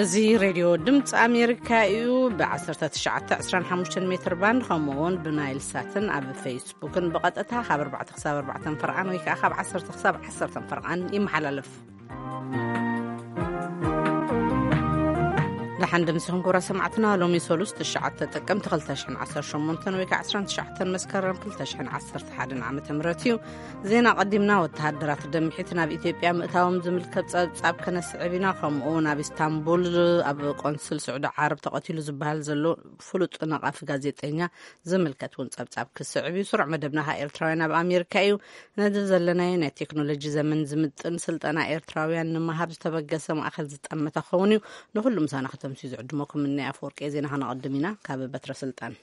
እዚ ሬድዮ ድምፂ ኣሜሪካ እዩ። ብ1925 ሜትር ባንድ ከምኡ እውን ብናይል ሳትን ኣብ ፌስቡክን ብቐጥታ ካብ ኣርባዕተ ክሳብ ኣርባዕተ ፈርቓን ወይ ከዓ ካብ ዓሰርተ ክሳብ ዓሰርተ ፈርቓን ይመሓላለፍ። ደሓን ድምፅኹም ክብራ ሰማዕትና። ሎሚ ሰሉስ ትሽዓተ ጥቅምቲ ክልተ ሽሕን ዓሰርተ ሸሞንተን ወይ ከዓ ዕስራን ትሽዓተን መስከረም ክልተ ሽሕን ዓሰርተ ሓደን ዓመተ ምህረት እዩ። ዜና ቀዲምና። ወተሃደራት ደምሒት ናብ ኢትዮጵያ ምእታዎም ዝምልከት ጸብጻብ ከነስዕብ ኢና። ከምኡ ናብ ኢስታንቡል ኣብ ቆንስል ስዑዲ ዓረብ ተቐቲሉ ዝበሃል ዘሎ ፍሉጥ ነቓፊ ጋዜጠኛ ዝምልከት እውን ጸብጻብ ክስዕብ እዩ። ስሩዕ መደብና ከኣ ኤርትራውያን ኣብ ኣሜሪካ እዩ። ነዚ ዘለናዮ ናይ ቴክኖሎጂ ዘመን ዝምጥን ስልጠና ኤርትራውያን ንምሃብ ዝተበገሰ ማእከል ዝጠመተ ክኸውን እዩ። ንኹሉ ምሳና ከተምስዩ ዝዕድመኩም ምናይ ኣፈወርቂ ዜና ከነቐድም ኢና። ካብ በትረ ስልጣን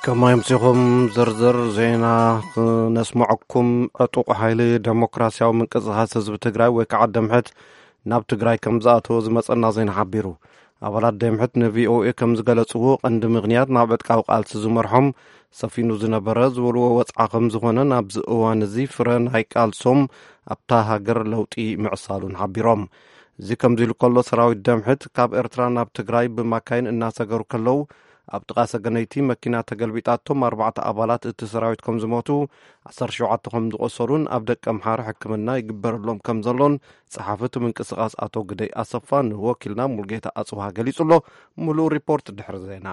ከማይ ምሲኹም ዝርዝር ዜና ክነስምዐኩም። ዕጡቕ ሓይሊ ደሞክራሲያዊ ምንቅስቓስ ህዝቢ ትግራይ ወይ ከዓ ደምሕት ናብ ትግራይ ከም ዝኣተወ ዝመጸና ዜና ሓቢሩ። ኣባላት ደምሕት ንቪኦኤ ከም ዝገለጽዎ፣ ቀንዲ ምኽንያት ናብ ዕጥቃዊ ቃልሲ ዝመርሖም ሰፊኑ ዝነበረ ዝበልዎ ወጽዓ ከም ዝኾነን ኣብዚ እዋን እዚ ፍረ ናይ ቃልሶም ኣብታ ሃገር ለውጢ ምዕሳሉን ሓቢሮም። እዚ ከምዚ ኢሉ ከሎ፣ ሰራዊት ደምሕት ካብ ኤርትራ ናብ ትግራይ ብማካይን እናሰገሩ ከለዉ፣ ኣብ ጥቓ ሰገነይቲ መኪና ተገልቢጣቶም ኣርባዕተ ኣባላት እቲ ሰራዊት ከም ዝሞቱ፣ ዓሰርተ ሸውዓተ ከም ዝቖሰሉን ኣብ ደቀ ምሓረ ሕክምና ይግበረሎም ከም ዘሎን ጸሓፊ እቲ ምንቅስቓስ ኣቶ ግደይ ኣሰፋ ንወኪልና ሙልጌታ ኣጽብሃ ገሊጹ ኣሎ። ምሉእ ሪፖርት ድሕሪ ዜና።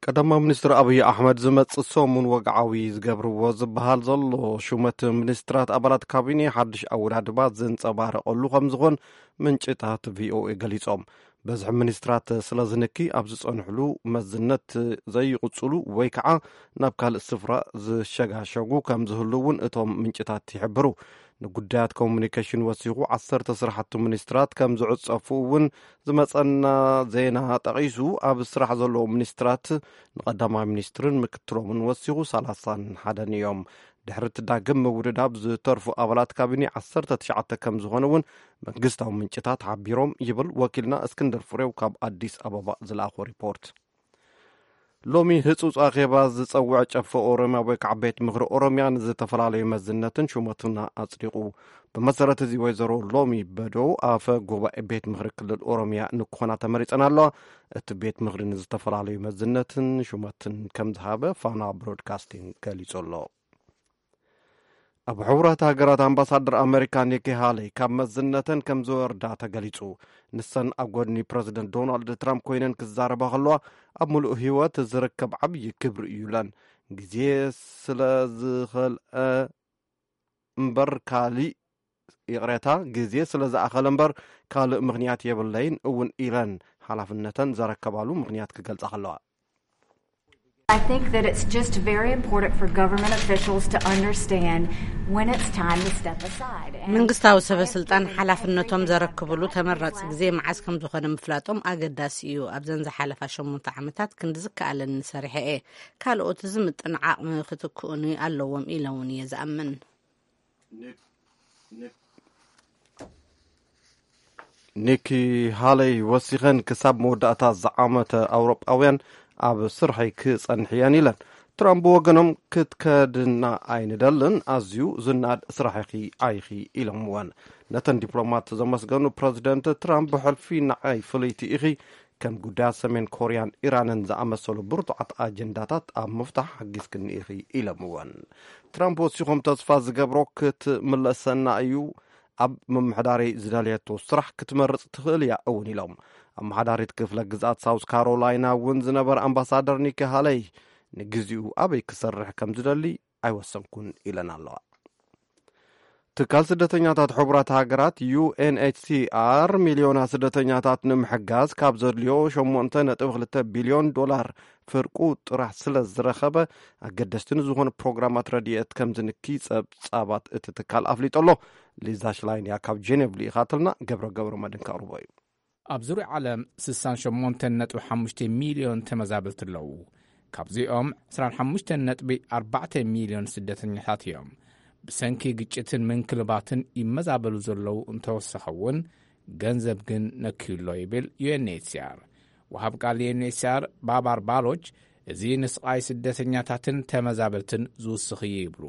ቀዳማዊ ሚኒስትር ኣብይ ኣሕመድ ዝመጽእ ሰሙን ወግዓዊ ዝገብርዎ ዝበሃል ዘሎ ሹመት ሚኒስትራት ኣባላት ካቢኔ ሓድሽ ኣወዳድባ ዘንጸባረቐሉ ከም ዝኾን ምንጭታት ቪኦኤ ገሊጾም። በዝሒ ሚኒስትራት ስለ ዝንኪ ኣብ ዝጸንሕሉ መዝነት ዘይቕጽሉ ወይ ከዓ ናብ ካልእ ስፍራ ዝሸጋሸጉ ከም ዝህሉ እውን እቶም ምንጭታት ይሕብሩ። ንጉዳያት ኮሙኒኬሽን ወሲኹ ዓሰርተ ስራሕቲ ሚኒስትራት ከም ዝዕጸፉ እውን ዝመጸና ዜና ጠቒሱ፣ ኣብ ስራሕ ዘለዉ ሚኒስትራት ንቐዳማይ ሚኒስትርን ምክትሎምን ወሲኹ ሰላሳን ሓደን እዮም። ድሕሪ እቲ ዳግም ምውድዳብ ዝተርፉ ኣባላት ካቢኔ ዓሰርተ ትሽዓተ ከም ዝኾነ እውን መንግስታዊ ምንጭታት ሓቢሮም ይብል ወኪልና እስክንድር ፍሬው ካብ ኣዲስ ኣበባ ዝለኣኾ ሪፖርት። ሎሚ ህጹጽ ኣኼባ ዝጸውዐ ጨፈ ኦሮሚያ ወይ ከዓ ቤት ምኽሪ ኦሮሚያ ንዝተፈላለዩ መዝነትን ሹመትን ኣጽዲቑ። ብመሰረት እዚ ወይዘሮ ሎሚ በዶ ኣፈ ጉባኤ ቤት ምኽሪ ክልል ኦሮሚያ ንክኾና ተመሪጸን ኣለዋ። እቲ ቤት ምኽሪ ንዝተፈላለዩ መዝነትን ሹመትን ከም ዝሃበ ፋና ብሮድካስቲንግ ገሊጹ ኣሎ። ኣብ ሕቡራት ሃገራት ኣምባሳደር ኣመሪካ ኒኪ ሃለይ ካብ መዝነተን ከም ዝወርዳ ተገሊጹ። ንሰን ኣብ ጎድኒ ፕረዚደንት ዶናልድ ትራምፕ ኮይነን ክዛረባ ከለዋ፣ ኣብ ምሉእ ህይወት ዝርከብ ዓብዪ ክብሪ እዩ ኢለን። ግዜ ስለ ዝኸልአ እምበር ካልእ፣ ይቕሬታ፣ ግዜ ስለ ዝኣኸለ እምበር ካልእ ምኽንያት የብለይን እውን ኢለን ሓላፍነተን ዘረከባሉ ምኽንያት ክገልጻ ከለዋ። I think that it's just very important for government officials to understand when it's time to step aside. And መንግስታዊ ሰበ ስልጣን ሓላፍነቶም ዘረክብሉ ተመራጺ ግዜ መዓስ ከም ዝኾነ ምፍላጦም ኣገዳሲ እዩ። ኣብዘን ዝሓለፋ ሸሞንተ ዓመታት ክንዲ ዝከኣለኒ ሰሪሐ እየ። ካልኦት ዝምጥን ዓቕሚ ክትክኡኒ ኣለዎም ኢለ እውን እየ ዝኣምን። ኒኪ ሃለይ ወሲኸን፣ ክሳብ መወዳእታ ዝዓመተ ኣውሮጳውያን ኣብ ስርሐይ ክጸንሕ እየን ኢለን። ትራምፕ ብወገኖም፣ ክትከድና ኣይንደልን፣ ኣዝዩ ዝናድ ስራሕ ኢኺ ኣይኺ ኢሎምወን። ነተን ዲፕሎማት ዘመስገኑ ፕረዚደንት ትራምፕ፣ ብሕልፊ ንዓይ ፍልይቲ ኢኺ፣ ከም ጉዳያት ሰሜን ኮርያን ኢራንን ዝኣመሰሉ ብርቱዓት ኣጀንዳታት ኣብ ምፍታሕ ሓጊዝክኒ ኢኺ ኢሎምወን። ትራምፕ ወሲኾም፣ ተስፋ ዝገብሮ ክትምለሰና እዩ፣ ኣብ ምምሕዳረይ ዝደለየቶ ስራሕ ክትመርጽ ትኽእል እያ እውን ኢሎም። ኣመሓዳሪት ክፍለ ግዝኣት ሳውስ ካሮላይና እውን ዝነበረ ኣምባሳደር ኒኪ ሃለይ ንግዚኡ ኣበይ ክሰርሕ ከም ዝደሊ ኣይወሰንኩን ኢለን ኣለዋ። ትካል ስደተኛታት ሕቡራት ሃገራት ዩ ኤን ኤች ሲ ኣር ሚልዮናት ስደተኛታት ንምሕጋዝ ካብ ዘድልዮ ሸሞንተ ነጥቢ ክልተ ቢልዮን ዶላር ፍርቁ ጥራሕ ስለ ዝረኸበ ኣገደስቲ ንዝኾኑ ፕሮግራማት ረድኤት ከም ዝንኪ ጸብጻባት እቲ ትካል ኣፍሊጡ ኣሎ። ሊዛ ሽላይን እያ ካብ ጄኔቭ ልኢኻትልና። ገብረ ገብረ መድን ከቕርቦ እዩ። ኣብ ዙርያ ዓለም ስሳን ሸሞንተን ነጥቢ ሓሙሽተ ሚልዮን ተመዛበልቲ ኣለዉ። ካብዚኦም ዕስራን ሓሙሽተን ነጥቢ ኣርባዕተ ሚልዮን ስደተኛታት እዮም። ብሰንኪ ግጭትን ምንክልባትን ይመዛበሉ ዘለዉ እንተወሰኸ እውን ገንዘብ ግን ነክዩ ኣሎ ይብል ዩ ኤን ኤች ሲ ኣር። ወሃብ ቃል ዩ ኤን ኤች ሲ ኣር ባባር ባሎች እዚ ንስቓይ ስደተኛታትን ተመዛበልትን ዝውስኽ እዩ ይብሉ።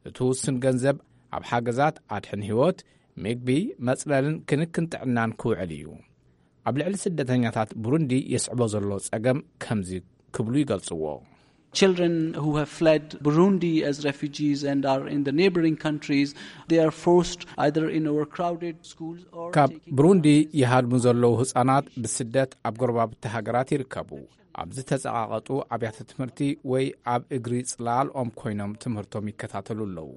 እቲ ውስን ገንዘብ ኣብ ሓገዛት ኣድሕን ህይወት፣ ምግቢ፣ መጽለልን ክንክን ጥዕናን ክውዕል እዩ። ኣብ ልዕሊ ስደተኛታት ብሩንዲ የስዕቦ ዘሎ ጸገም ከምዚ ክብሉ ይገልጽዎ። Children who have fled Burundi as refugees and are in the neighboring countries, they are forced either in overcrowded schools or ካብ taking ብሩንዲ ይሃድሙ ዘለዉ ህጻናት ብስደት ኣብ ጎረባብቲ ሃገራት ይርከቡ። ኣብ ዝተጸቓቐጡ ኣብያተ ትምህርቲ ወይ ኣብ እግሪ ጽላልኦም ኮይኖም ትምህርቶም ይከታተሉ ኣለዉ።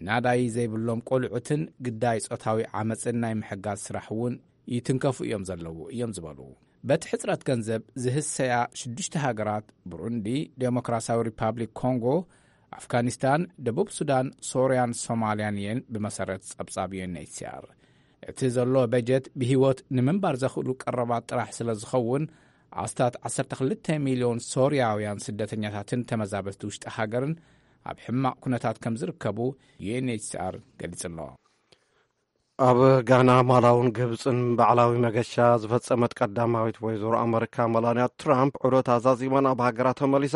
ናዳይ ዘይብሎም ቆልዑትን ግዳይ ጾታዊ ዓመጽን ናይ ምሕጋዝ ስራሕ እውን ይትንከፉ እዮም ዘለዉ እዮም ዝበሉ። በቲ ሕጽረት ገንዘብ ዝህሰያ ሽዱሽተ ሃገራት ብሩንዲ፣ ዴሞክራሲያዊ ሪፓብሊክ ኮንጎ፣ ኣፍጋኒስታን፣ ደቡብ ሱዳን፣ ሶርያን ሶማልያን እየን ብመሰረት ጸብጻብ ዩ ኤን ኤች ሲ ኣር። እቲ ዘሎ በጀት ብህይወት ንምንባር ዘኽእሉ ቀረባት ጥራሕ ስለ ዝኸውን ኣስታት ዓሰርተ ክልተ ሚልዮን ሶርያውያን ስደተኛታትን ተመዛበልቲ ውሽጢ ሃገርን ኣብ ሕማቕ ኩነታት ከም ዝርከቡ ዩ ኤን ኤች ሲ ኣር ገሊጹ ኣሎ። ኣብ ጋና፣ ማላውን ግብፅን ባዕላዊ መገሻ ዝፈፀመት ቀዳማዊት ወይዘሮ ኣመሪካ መላንያ ትራምፕ ዑደት ኣዛዚማ ናብ ሃገራ ተመሊሳ።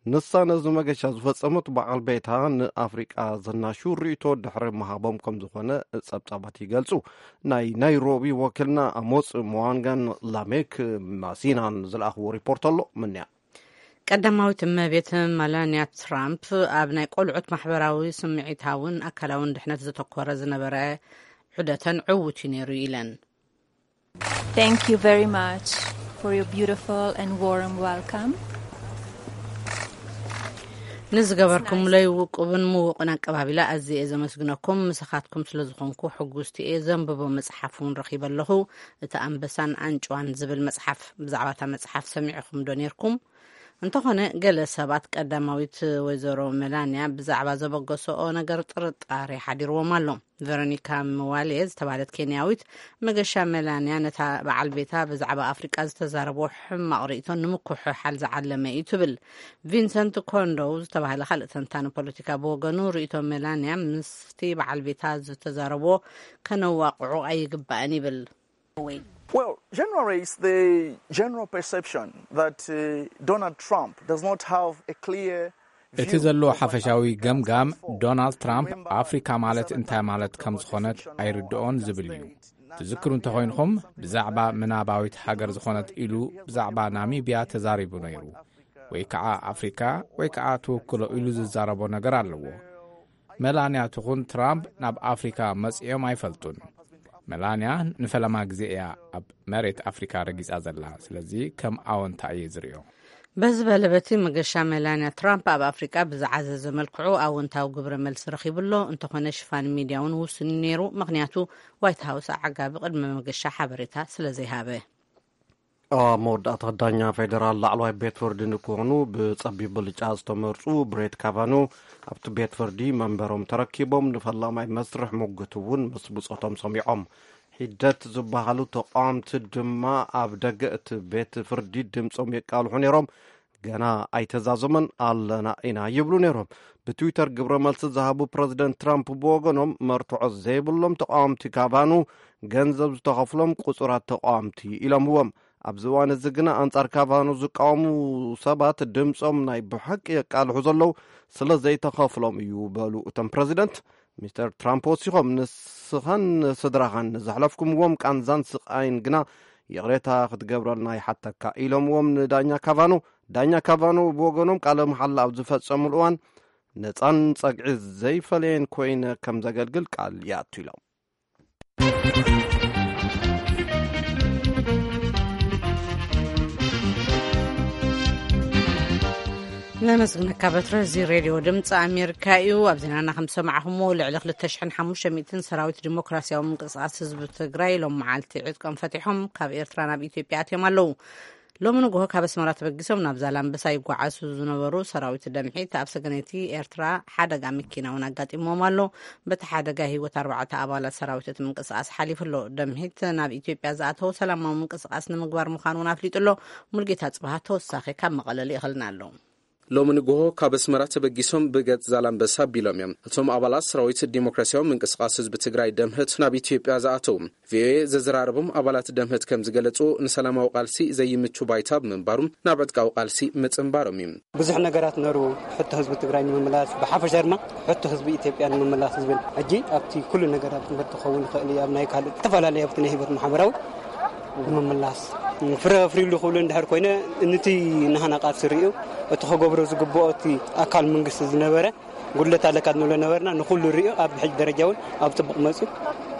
ንሳ ነዚ መገሻ ዝፈፀመት በዓል ቤታ ንኣፍሪቃ ዘናሹ ርእይቶ ድሕሪ ምሃቦም ከም ዝኾነ ጸብጻባት ይገልጹ። ናይ ናይሮቢ ወኪልና ኣሞጽ መዋንጋን ላሜክ ማሲናን ዝለኣኽዎ ሪፖርት ኣሎ። ምንያ ቀዳማዊት እመቤት መላንያ ትራምፕ ኣብ ናይ ቆልዑት ማሕበራዊ፣ ስምዒታውን ኣካላውን ድሕነት ዘተኮረ ዝነበረ ዑደተን ዕዉት እዩ ነይሩ ኢለን። Thank you very much for your beautiful and warm welcome. ንዝገበርኩምለይ ውቁብን ምውቕን ኣቀባቢላ ኣዝየ እየ ዘመስግነኩም። ምሳኻትኩም ስለ ዝኾንኩ ሕጉስቲ እየ። ዘንብቦ መጽሓፍ እውን ረኺበ ኣለኹ። እቲ ኣንበሳን ኣንጭዋን ዝብል መጽሓፍ። ብዛዕባ እታ መጽሓፍ ሰሚዕኹም ዶ ነይርኩም? እንተኾነ ገለ ሰባት ቀዳማዊት ወይዘሮ መላንያ ብዛዕባ ዘበገሰኦ ነገር ጥርጣሬ ሓዲርዎም ኣሎ። ቨሮኒካ ምዋሌ ዝተባህለት ኬንያዊት መገሻ መላንያ ነታ በዓል ቤታ ብዛዕባ ኣፍሪቃ ዝተዛረቦ ሕማቕ ርእይቶ ንምኩሕሓል ዝዓለመ እዩ ትብል። ቪንሰንት ኮንዶው ዝተባህለ ካልእ ተንታኒ ፖለቲካ ብወገኑ ርእይቶ መላንያ ምስቲ በዓል ቤታ ዝተዛረቦ ከነዋቕዑ ኣይግባእን ይብል። Well, generally, it's the general perception that uh, Donald Trump does not have a clear እቲ ዘሎ ሓፈሻዊ ገምጋም ዶናልድ ትራምፕ ኣፍሪካ ማለት እንታይ ማለት ከም ዝኾነት ኣይርድኦን ዝብል እዩ። ትዝክሩ እንተኾይንኹም ብዛዕባ ምናባዊት ሃገር ዝኾነት ኢሉ ብዛዕባ ናሚብያ ተዛሪቡ ነይሩ። ወይ ከዓ ኣፍሪካ ወይ ከዓ ትውክሎ ኢሉ ዝዛረቦ ነገር ኣለዎ። መላንያ ትኹን ትራምፕ ናብ ኣፍሪካ መጺኦም ኣይፈልጡን። መላንያ ንፈለማ ግዜ እያ ኣብ መሬት ኣፍሪካ ረጊጻ ዘላ። ስለዚ ከም ኣወንታ እየ ዝርእዮ። በዚ በለ በቲ መገሻ መላንያ ትራምፕ ኣብ ኣፍሪቃ ብዝዓዘዘ መልክዑ ኣወንታዊ ግብረ መልሲ ረኺቡ ኣሎ። እንተኾነ ሽፋን ሚድያ እውን ውሱን እዩ ነይሩ። ምኽንያቱ ዋይት ሃውስ ኣዓጋቢ ቅድመ መገሻ ሓበሬታ ስለ ዘይሃበ። ኣብ መወዳእታ ዳኛ ፌዴራል ላዕለዋይ ቤት ፍርዲ ንክኾኑ ብጸቢብ ብልጫ ዝተመርጹ ብሬት ካቫኑ ኣብቲ ቤት ፍርዲ መንበሮም ተረኪቦም ንፈላማይ መስርሕ ሙግት እውን ምስ ብጾቶም ሰሚዖም። ሒደት ዝበሃሉ ተቃወምቲ ድማ ኣብ ደገ እቲ ቤት ፍርዲ ድምጾም የቃልሑ ነይሮም። ገና ኣይተዛዘመን ኣለና ኢና ይብሉ ነይሮም። ብትዊተር ግብረ መልሲ ዝሃቡ ፕረዚደንት ትራምፕ ብወገኖም መርትዖ ዘይብሎም ተቃወምቲ ካቫኑ ገንዘብ ዝተኸፍሎም ቁጹራት ተቃወምቲ ኢሎምዎም። ኣብዚ እዋን እዚ ግና ኣንጻር ካቫኑ ዝቃወሙ ሰባት ድምጾም ናይ ብሓቂ የቃልሑ ዘለዉ ስለ ዘይተኸፍሎም እዩ በሉ እቶም ፕረዚደንት። ሚስተር ትራምፕ ወሲኾም ንስኻን ስድራኻን ዘሕለፍኩምዎም ቃንዛን ስቃይን ግና ይቕሬታ ክትገብረልና ይሓተካ ኢሎምዎም ንዳኛ ካቫኑ። ዳኛ ካቫኑ ብወገኖም ቃለ መሓላ ኣብ ዝፈጸሙሉ እዋን ነጻን ጸግዒ ዘይፈለየን ኮይነ ከም ዘገልግል ቃል ይኣቱ ኢሎም። ነመስግነካ በትረ። እዚ ሬድዮ ድምፂ ኣሜሪካ እዩ። ኣብ ዜናና ከም ዝሰማዕኹምዎ ልዕሊ ክልተ ሽሕን ሓሙሽተ ሚእትን ሰራዊት ዲሞክራሲያዊ ምንቅስቃስ ህዝቢ ትግራይ ሎም መዓልቲ ዕጥቆም ፈቲሖም ካብ ኤርትራ ናብ ኢትዮጵያ ኣትዮም ኣለዉ። ሎሚ ንግሆ ካብ ኣስመራ ተበጊሶም ናብ ዛላምበሳ ይጓዓዙ ዝነበሩ ሰራዊት ደምሒት ኣብ ሰገነይቲ ኤርትራ ሓደጋ መኪና እውን ኣጋጢሞም ኣሎ። በቲ ሓደጋ ህይወት ኣርባዕተ ኣባላት ሰራዊት እቲ ምንቅስቃስ ሓሊፉ ኣሎ። ደምሒት ናብ ኢትዮጵያ ዝኣተው ሰላማዊ ምንቅስቃስ ንምግባር ምዃኑ እውን ኣፍሊጡ ኣሎ። ሙልጌታ ጽባሃ ተወሳኺ ካብ መቐለ ልኢኸልና ኣሎ። ሎሚ ንግሆ ካብ ኣስመራ ተበጊሶም ብገጽ ዛላምበሳ ኣቢሎም እዮም። እቶም ኣባላት ሰራዊት ዲሞክራሲያዊ ምንቅስቃስ ህዝቢ ትግራይ ደምህት ናብ ኢትዮጵያ ዝኣተዉ። ቪኦኤ ዘዘራረቦም ኣባላት ደምህት ከም ዝገለጹ፣ ንሰላማዊ ቃልሲ ዘይምቹ ባይታ ብምንባሩ ናብ ዕጥቃዊ ቃልሲ ምጽንባሮም እዩ። ብዙሕ ነገራት ነሩ፣ ሕቶ ህዝቢ ትግራይ ንምምላስ፣ ብሓፈሻ ድማ ሕቶ ህዝቢ ኢትዮጵያ ንምምላስ ዝብል። ሕጂ ኣብቲ ኩሉ ነገራት ትምህርቲ ክኸውን ይኽእል እዩ፣ ኣብ ናይ ካልእ ዝተፈላለዩ ኣብቲ ናይ ህይወት ማሕበራዊ ንምምላስ ፍረ ኣፍርዩሉ ክብሉ እንድሕር ኮይነ፣ ንቲ ናህና ቃልሲ ርእዩ እቲ ክገብሮ ዝግብኦ እቲ ኣካል መንግስቲ ዝነበረ ጉድለት ኣለካ ንብሎ ነበርና። ንኹሉ ርእዩ ኣብ ሕጂ ደረጃ እውን ኣብ ጽቡቕ መጽዩ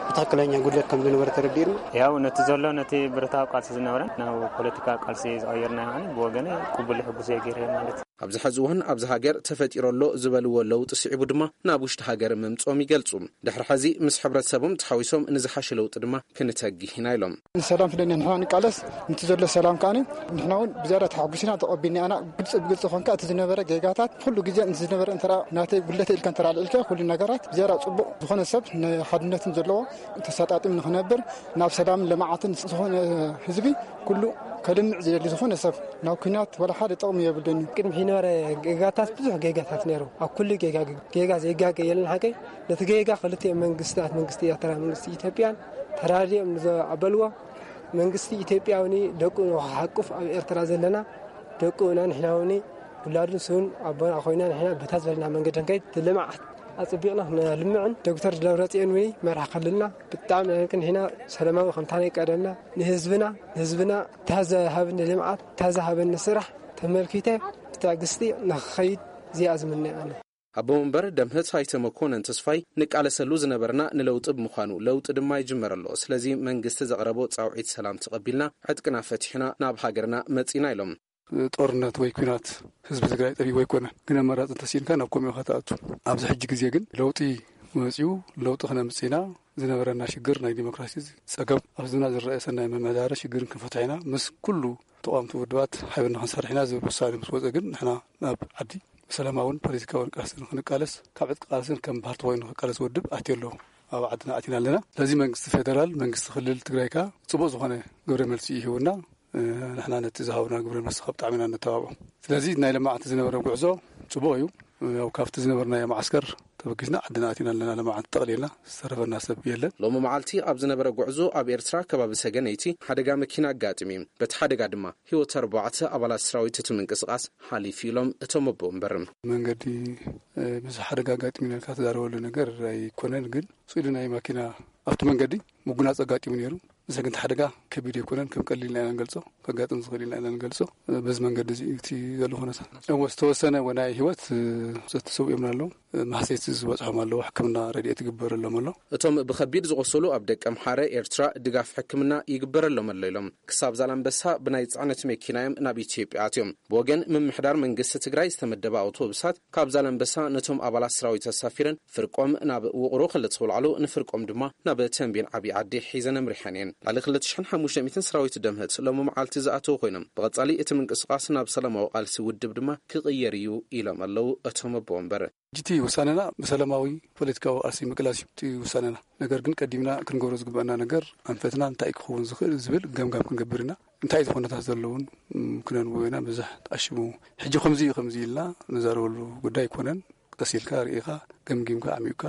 ብትኽክለኛ ጉድለት ከም ዝነበረ ተረዲእና። ያው ነቲ ዘሎ ነቲ ብረታዊ ቃልሲ ዝነበረን ናብ ፖለቲካ ቃልሲ ዝቐየርና፣ ብወገነ ቅቡል ሕጉስ እየ ገይረ ማለት እዩ። ኣብዚ ሕዚ እዋን ኣብዚ ሃገር ተፈጢሮ ኣሎ ዝበልዎ ለውጢ ስዒቡ ድማ ናብ ውሽጢ ሃገር ምምጾም ይገልጹ። ድሕሪ ሕዚ ምስ ሕብረተሰቦም ተሓዊሶም ንዝሓሸ ለውጢ ድማ ክንተግህ ኢና ኢሎም። ንሰላም ስለ ንሕና ንቃለስ፣ ንቲ ዘሎ ሰላም ከኣኒ ንሕና እውን ብዝያዳ ተሓጒስና ተቐቢልና ኢና። ግልፂ ብግልፂ ኮንካ እቲ ዝነበረ ጌጋታት ኩሉ ግዜ ዝነበረ እንተ ናተይ ጉለተ ኢልካ እንተ ኣልዒልካ ኩሉ ነገራት ብዝያዳ ፅቡቕ ዝኾነ ሰብ ንሓድነትን ዘለዎ ተሰጣጢም ንክነብር ናብ ሰላምን ልምዓትን ዝኾነ ህዝቢ ኩሉ ከልምዕ ዝደሊ ዝኾነ ሰብ ናብ ኩናት ወላ ሓደ ጥቕሚ የብሉን እዩ። ቅድሚ ሕጂ ነበረ ጌጋታት ብዙሕ ጌጋታት ነይሩ። ኣብ ኩሉ ጌጋ ጌጋ ዘይጋገ የለን ሓቀይ። ነቲ ጌጋ ክልቲኦም መንግስታት መንግስቲ ኤርትራ መንግስቲ ኢትዮጵያን ተራዲኦም ንዘበልዎ መንግስቲ ኢትዮጵያ እውን ደቁ ንክሓቁፍ ኣብ ኤርትራ ዘለና ደቁ እና ንሕና እውን ውላዱን ስውን ኣቦና ኮይና ንሕና በታ ዝበልና መንገዲ ንከይድ ልምዓት ኣጽቢቕና ክነልምዕን ዶክተር ደብረጽዮን እውን መራሕ ክልልና ብጣዕሚ ንሕና ሰላማዊ ከምታ ናይ ቀደምና ንህዝብና ንህዝብና ታዘሃብኒ ልምዓት ታዘሃበኒ ስራሕ ተመልኪተ ብትዕግስቲ ንክኸይድ እዚኣ ዝምነ ኣነ። ኣቦ መንበር ደምህት ኣይተ መኮነን ተስፋይ ንቃለሰሉ ዝነበርና ንለውጢ ብምዃኑ ለውጢ ድማ ይጅመር ኣሎ። ስለዚ መንግስቲ ዘቕረቦ ጻውዒት ሰላም ተቐቢልና ዕጥቅና ፈቲሕና ናብ ሃገርና መጺና ኢሎም። ጦርነት ወይ ኲናት ህዝቢ ትግራይ ጠፊኡ ኣይኮነን። ግን ኣማራጺ እንተሲኢንካ ናብ ከምኡ ኢኻ ትኣቱ። ኣብዚ ሕጂ ግዜ ግን ለውጢ መጺኡ ለውጢ ክነምጽእ ኢና። ዝነበረና ሽግር ናይ ዲሞክራሲ ጸገም ኣብ ህዝብና ዝረአ ሰናይ ምምሕዳር ሽግርን ክንፈትሕ ኢና። ምስ ኩሉ ተቓወምቲ ውድባት ሓቢርና ክንሰርሕ ኢና ዝብል ውሳኔ ምስ ወጸ ግን ንሕና ናብ ዓዲ ብሰላማውን ፖለቲካውን ቃልሲ ንክንቃለስ ካብ ዕጥቂ ቃልስን ከም ፓርቲ ኮይኑ ክቃለስ ውድብ ኣትዮ ኣለዎ። ኣብ ዓድና ኣቲና ኣለና። ስለዚ መንግስቲ ፌደራል መንግስቲ ክልል ትግራይ ከኣ ጽቡቕ ዝኾነ ግብረ መልሲ ይህቡና። ንሕና ነቲ ዝሃቡና ግብረ መልሲ ካብ ብጣዕሚ ኢና ነተባብዖ። ስለዚ ናይ ለማዕቲ ዝነበረ ጉዕዞ ጽቡቕ እዩ። ያው ካብቲ ዝነበርናዮ መዓስከር ተበጊስና ዓድና ኣቲና ኣለና። ለማዕቲ ጠቕሊልና ዝተረፈና ሰብ የለን። ሎሚ መዓልቲ ኣብ ዝነበረ ጉዕዞ ኣብ ኤርትራ ከባቢ ሰገነይቲ ሓደጋ መኪና ኣጋጢሙ እዩ። በቲ ሓደጋ ድማ ህይወት ኣርባዕተ ኣባላት ሰራዊት እቲ ምንቅስቃስ ሓሊፉ ኢሎም እቶም ኣቦ ወንበር። መንገዲ ብዙሕ ሓደጋ ኣጋጢሙ ኢልካ ትዛረበሉ ነገር ኣይኮነን። ግን ስኢሉ ናይ ማኪና ኣብቲ መንገዲ ምጉናጽ ኣጋጢሙ ነይሩ። እዚ ግን ሓደጋ ከቢድ ኣይኮነን። ከም ቀሊል ኢና ንገልጾ፣ ከጋጥም ዝኽእል ኢና ንገልጾ። በዚ መንገዲ እዚ እቲ ዘሎ ኩነታት እወ ዝተወሰነ ወናይ ህይወት ዘተሰውኦም ኣለዉ። ማህሰይቲ ዝበጽሖም ኣለዉ። ሕክምና ረድኤት ይግበረሎም ኣሎ። እቶም ብኸቢድ ዝቆሰሉ ኣብ ደቀ ምሓረ ኤርትራ ድጋፍ ሕክምና ይግበረሎም ኣሎ ኢሎም። ክሳብ ዛላምበሳ ብናይ ጽዕነት መኪና እዮም ናብ ኢትዮጵያ ኣትዮም። ብወገን ምምሕዳር መንግስቲ ትግራይ ዝተመደባ ኣውቶቡሳት ካብ ዛላምበሳ ነቶም ኣባላት ሰራዊት ኣሳፊረን ፍርቆም ናብ ውቕሮ ክልተ ውልዓሉ ንፍርቆም ድማ ናብ ተንቤን ዓብዪ ዓዲ ሒዘን ኣምሪሐን እየን። ልዕሊ ክልተ ሽሕን ሓሙሽተ ሚእትን ሰራዊት ደምህት ሎሚ መዓልቲ ዝኣተዉ ኮይኖም ብቐጻሊ እቲ ምንቅስቃስ ናብ ሰላማዊ ቃልሲ ውድብ ድማ ክቕየር እዩ ኢሎም ኣለዉ እቶም ኣቦ ወንበር። ሕጂ እቲ ውሳነና ብሰላማዊ ፖለቲካዊ ቃልሲ ምቅላስ እዩ እቲ ውሳነና። ነገር ግን ቀዲምና ክንገብሮ ዝግበአና ነገር ኣንፈትና እንታይ ክኸውን ዝኽእል ዝብል ገምጋም ክንገብር ኢና። እንታይ ዝኾነታት ዘለውን ክነንብቦ ኢና። ብዙሕ ተኣሽሙ ሕጂ ከምዚ እዩ ከምዚ ኢልና ንዛረበሉ ጉዳይ ኣይኮነን። ቀስ ኢልካ ርኢኻ ገምጊምካ ኣዕሚቕካ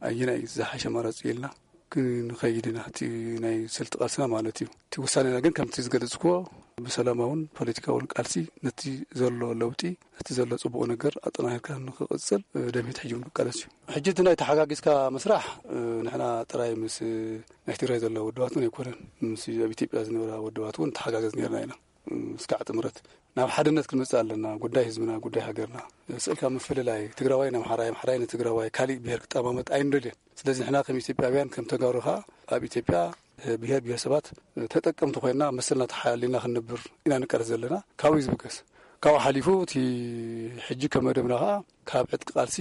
ኣየናይ ዝሓሸ ኣማራፂ ኢልና ክንኸይድ ኢና። እቲ ናይ ስልቲ ቃልስና ማለት እዩ። እቲ ውሳኔና ግን ከምቲ ዝገለጽክዎ ብሰላማውን ፖለቲካውን ቃልሲ ነቲ ዘሎ ለውጢ ነቲ ዘሎ ጽቡቕ ነገር ኣጠናኺርካ ንኽቕጽል ደምሂት ሕጂ እውን ክቃለስ እዩ። ሕጂ እቲ ናይ ተሓጋጊዝካ ምስራሕ ንሕና ጥራይ ምስ ናይ ትግራይ ዘለዋ ውድባት እውን ኣይኮነን። ምስ ኣብ ኢትዮጵያ ዝነበራ ውድባት እውን ተሓጋገዝ ነርና ኢና። እስካዕ ጥምረት ናብ ሓድነት ክንመጽእ ኣለና። ጉዳይ ህዝብና፣ ጉዳይ ሃገርና ስእልካ ምፍልላይ ትግራዋይ ንኣምሓራይ፣ ኣምሓራይ ንትግራዋይ፣ ካሊእ ብሄር ክጠማመት ኣይንደልየን። ስለዚ ንሕና ከም ኢትዮጵያውያን ከም ተጋሩ ኸኣ ኣብ ኢትዮጵያ ብሄር ብሄረሰባት ተጠቀምቲ ኮይና መሰልና ተሓሊና ክንነብር ኢና ንቃለስ ዘለና። ካብኡ እዩ ዝብገስ። ካብኡ ሓሊፉ እቲ ሕጂ ከም መደብና ኸኣ ካብ ዕጥቂ ቃልሲ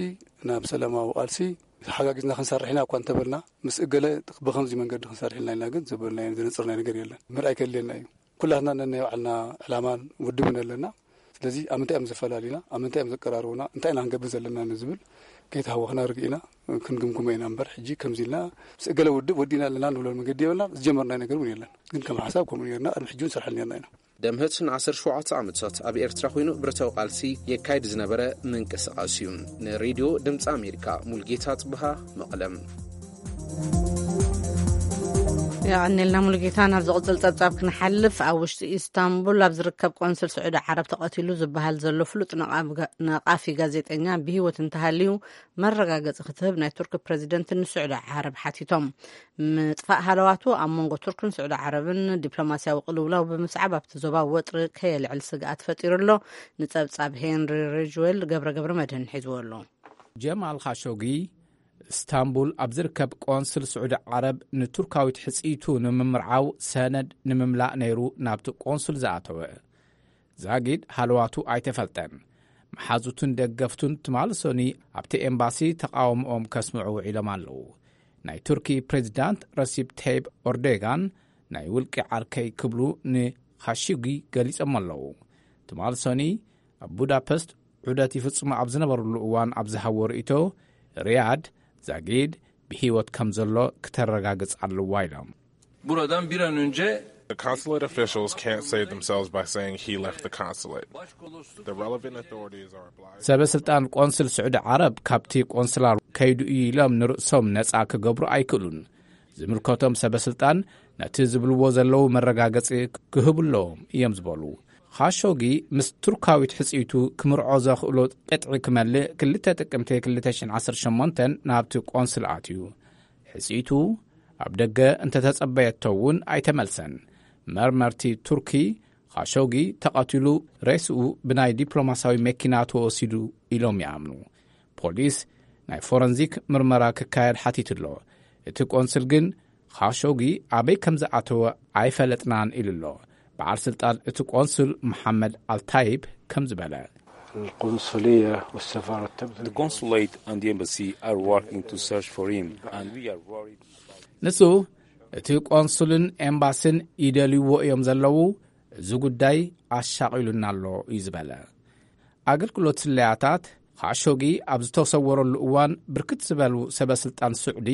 ናብ ሰላማዊ ቃልሲ ተሓጋጊዝና ክንሰርሕ ኢና እኳ እንተበልና ምስ እገለ ብኸምዚ መንገዲ ክንሰርሕ ኢልና ኢልና ግን ዘበልናዮ ዘነጽርናዮ ነገር የለን። ምርኣይ ከድልየና እዩ። ኩላትና ነናይ ባዕልና ዕላማን ውድብን ኣለና። ስለዚ ኣብ ምንታይ እዮም ዘፈላልዩና፣ ኣብ ምንታይ እዮም ዘቀራርቡና፣ እንታይ ኢና ክንገብር ዘለና ንዝብል ከይተሃወኽና ርግኢና ክንግምግሞ ኢና እምበር ሕጂ ከምዚ ኢልና ምስ እገለ ውድብ ወዲእና ኣለና ንብሎ መንገዲ የብልና። ዝጀመርናዮ ነገር እውን የለን። ግን ከም ሓሳብ ከምኡ ኔርና፣ ቅድሚ ሕጂ እውን ንሰርሐሉ ኔርና ኢና። ደምህት ንዓሰርተ ሸውዓተ ዓመታት ኣብ ኤርትራ ኮይኑ ብረታዊ ቃልሲ የካይድ ዝነበረ ምንቅስቓስ እዩ። ንሬድዮ ድምፂ ኣሜሪካ ሙልጌታ ጽብሃ፣ መቐለም። የቐኔልና ሙሉጌታ። ናብ ዝቕጽል ጸብጻብ ክንሓልፍ፣ ኣብ ውሽጢ ኢስታንቡል ኣብ ዝርከብ ቆንስል ስዑዲ ዓረብ ተቐቲሉ ዝበሃል ዘሎ ፍሉጥ ነቓፊ ጋዜጠኛ ብህይወት እንተሃልዩ መረጋገጺ ክትህብ ናይ ቱርክ ፕረዚደንት ንስዑዲ ዓረብ ሓቲቶም። ምጥፋእ ሃለዋቱ ኣብ መንጎ ቱርክን ስዑዲ ዓረብን ዲፕሎማስያዊ ቅልውላው ብምስዓብ ኣብቲ ዞባ ወጥሪ ከየልዕል ስግኣት ፈጢሩ ኣሎ። ንጸብጻብ ሄንሪ ሪጅዌል ገብረ ገብረ መድህን ሒዝዎ ኣሎ። ጀማል ኻሾጊ፣ እስታንቡል ኣብ ዝርከብ ቆንስል ስዑዲ ዓረብ ንቱርካዊት ሕጽይቱ ንምምርዓው ሰነድ ንምምላእ ነይሩ ናብቲ ቆንስል ዝኣተወ። ዛጊድ ሃለዋቱ ኣይተፈልጠን። መሓዙቱን ደገፍቱን ትማሊ ሰኑይ ኣብቲ ኤምባሲ ተቓውሞኦም ከስምዑ ውዒሎም ኣለዉ። ናይ ቱርኪ ፕሬዚዳንት ረሲፕ ተይብ ኦርዶጋን ናይ ውልቂ ዓርከይ ክብሉ ንኻሺጊ ገሊጾም ኣለዉ። ትማሊ ሰኑይ ኣብ ቡዳፐስት ዑደት ይፍጽሙ ኣብ ዝነበሩሉ እዋን ኣብ ዝሃቦ ርእይቶ፣ ሪያድ ዛጊድ ብህይወት ከም ዘሎ ክተረጋግጽ ኣለዋ ኢሎም። Buradan bir an önce The consulate officials can't save themselves by saying he left the consulate. The relevant authorities are obliged ሰበ ስልጣን ቆንስል ስዑዲ ዓረብ ካብቲ ቆንስላ ከይዱ እዩ ኢሎም ንርእሶም ነጻ ክገብሩ ኣይክእሉን። ዝምልከቶም ሰበ ስልጣን ነቲ ዝብልዎ ዘለዉ መረጋገጺ ክህቡ ኣለዎም እዮም ዝበሉ። ኻሾጊ ምስ ቱርካዊት ሕጽይቱ ክምርዖ ዘኽእሎ ቅጥዒ ክመልእ ክልተ ጥቅምቲ ክልተ ሽሕን ዓሰርተ ሸሞንተን ናብቲ ቆንስል ኣትዩ። ሕጽይቱ ኣብ ደገ እንተተጸበየቶ እውን ኣይተመልሰን። መርመርቲ ቱርኪ ኻሾጊ ተቐቲሉ ሬስኡ ብናይ ዲፕሎማስያዊ መኪና ተወሲዱ ኢሎም ይኣምኑ። ፖሊስ ናይ ፎረንዚክ ምርመራ ክካየድ ሓቲቱ ኣሎ። እቲ ቆንስል ግን ኻሾጊ ኣበይ ከም ዝኣተወ ኣይፈለጥናን ኢሉ ኣሎ። በዓል ስልጣን እቲ ቆንስል መሓመድ ኣልታይብ ከም ዝበለ፣ القنصلية والسفارة تبذل The consulate and the embassy are working to search for him, and we are worried. ንሱ፣ እቲ ቆንሱልን ኤምባስን ይደልይዎ እዮም ዘለዉ፣ እዚ ጉዳይ ኣሻቒሉና ኣሎ እዩ ዝበለ። ኣገልግሎት ስለያታት ኻሾጊ ኣብ ዝተሰወረሉ እዋን ብርክት ዝበሉ ሰበ ስልጣን ስዑዲ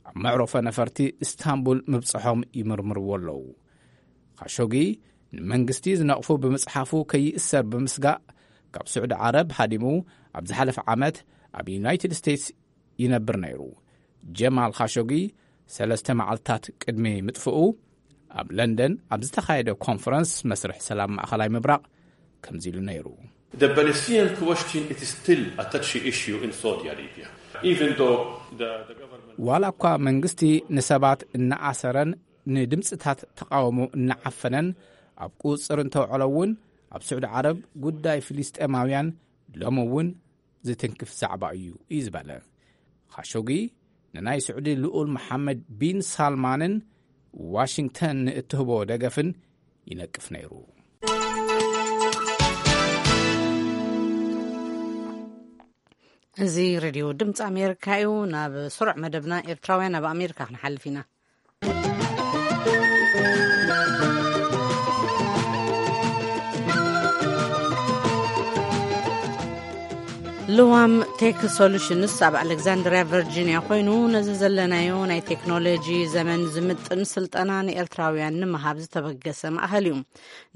ኣብ መዕረፎ ነፈርቲ እስታንቡል ምብጽሖም ይምርምርዎ ኣለዉ። ኻሾጊ ንመንግስቲ ዝነቕፉ ብምጽሓፉ ከይእሰር ብምስጋእ ካብ ስዑዲ ዓረብ ሃዲሙ ኣብ ዝሓለፈ ዓመት ኣብ ዩናይትድ ስቴትስ ይነብር ነይሩ። ጀማል ኻሾጊ ሰለስተ መዓልታት ቅድሚ ምጥፍኡ ኣብ ለንደን ኣብ ዝተኻየደ ኮንፈረንስ መስርሕ ሰላም ማእኸላይ ምብራቕ ከምዚ ኢሉ ነይሩ። The Palestinian question, it is still a touchy issue in Saudi Arabia, even though the, the government ዋላ እኳ መንግስቲ ንሰባት እናኣሰረን ንድምፅታት ተቃውሞ እናዓፈነን ኣብ ቁፅፅር እንተውዕሎ እውን፣ ኣብ ስዑዲ ዓረብ ጉዳይ ፍልስጤማውያን ሎሚ እውን ዝትንክፍ ዛዕባ እዩ እዩ ዝበለ። ኻሾጊ ንናይ ስዑዲ ልኡል መሓመድ ቢን ሳልማንን ዋሽንግተን ንእትህቦ ደገፍን ይነቅፍ ነይሩ። እዚ ሬድዮ ድምፂ ኣሜሪካ እዩ። ናብ ስሩዕ መደብና ኤርትራውያን ኣብ ኣሜሪካ ክንሓልፍ ኢና። ልዋም ቴክ ሶሉሽንስ ኣብ ኣሌክዛንድሪያ ቨርጂኒያ ኮይኑ፣ ነዚ ዘለናዮ ናይ ቴክኖሎጂ ዘመን ዝምጥን ስልጠና ንኤርትራውያን ንምሃብ ዝተበገሰ ማእኸል እዩ።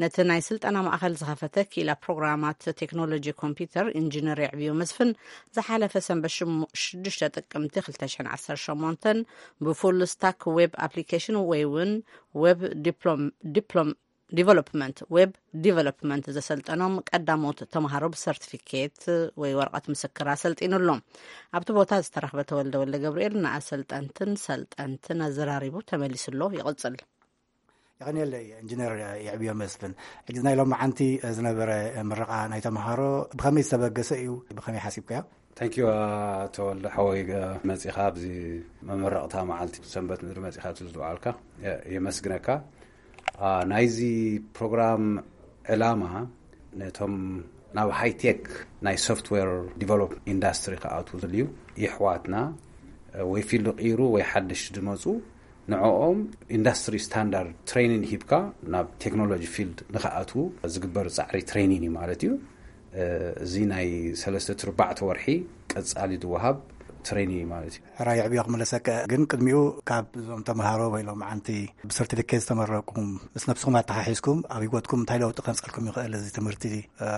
ነቲ ናይ ስልጠና ማእኸል ዝኸፈተ ክኢላ ፕሮግራማት ቴክኖሎጂ ኮምፒውተር ኢንጂነር የዕብዮ መስፍን፣ ዝሓለፈ ሰንበት ሽሙ-፣ ሽዱሽተ ጥቅምቲ ክልተ ሽሕን ዓሰርተ ሸሞንተን ብፉል ስታክ ዌብ ኣፕሊኬሽን ወይ እውን ዌብ ዲፕሎም-፣ ዲፕሎም-፣ ዲቨሎፕመንት፣ ዌብ ዲቨሎፕመንት ዘሰልጠኖም ቀዳሞት ተምሃሮ ብሰርቲፊኬት ወይ ወረቐት ምስክር ኣሰልጢኑ ኣሎ። ኣብቲ ቦታ ዝተረኽበ ተወልደ ወልደ ገብርኤል ንኣሰልጠንትን ሰልጠንትን ኣዘራሪቡ ተመሊሱ ኣሎ። ይቕጽል። የቐንየለይ ኢንጂነር የዕብዮ መስፍን። ሕጂ ናይ ሎማዓንቲ ዝነበረ ምረቓ ናይ ተምሃሮ ብኸመይ ዝተበገሰ እዩ? ብኸመይ ሓሲብካዮ? ታንኪዩ፣ ተወልደ ሓወይ፣ መጺኻ ኣብዚ መመረቕታ መዓልቲ ሰንበት ምድሪ መጺኻ ኣብዚ ዝወዓልካ፣ የ-፣ የመስግነካ። አ፣ ናይዚ ፕሮግራም ዕላማ ነቶም ናብ ሃይቴክ ናይ ሶፍትዌር ዲቨሎፕ ኢንዳስትሪ ክኣትዉ ዝልዩ የሕዋትና፣ እ፣ ወይ ፊልዱ ቀይሩ ወይ ሓድሽ ዝመጹ ንዕኦም ኢንዳስትሪ ስታንዳርድ ትሬኒን ሂብካ ናብ ቴክኖሎጂ ፊልድ ንኽኣትዉ ዝግበር ጻዕሪ ትሬኒን እዩ ማለት እዩ። እ፣ እዚ ናይ ሰለስተ ትርባዕተ ወርሒ ቀጻሊ ዝወሃብ ትሬኒ ማለት እዩ። ሕራይ ዕብዮ ክምለሰካ። ግን ቅድሚኡ ካብ እዞም ተምሃሮ ወይ ሎም ዓንቲ ብሰርቲፊኬት ዝተመረቅኩም ምስ ነብስኹም ኣተሓሒዝኩም ኣብ ህይወትኩም እንታይ ለውጢ ከምፀልኩም ይኽእል እዚ ትምህርቲ?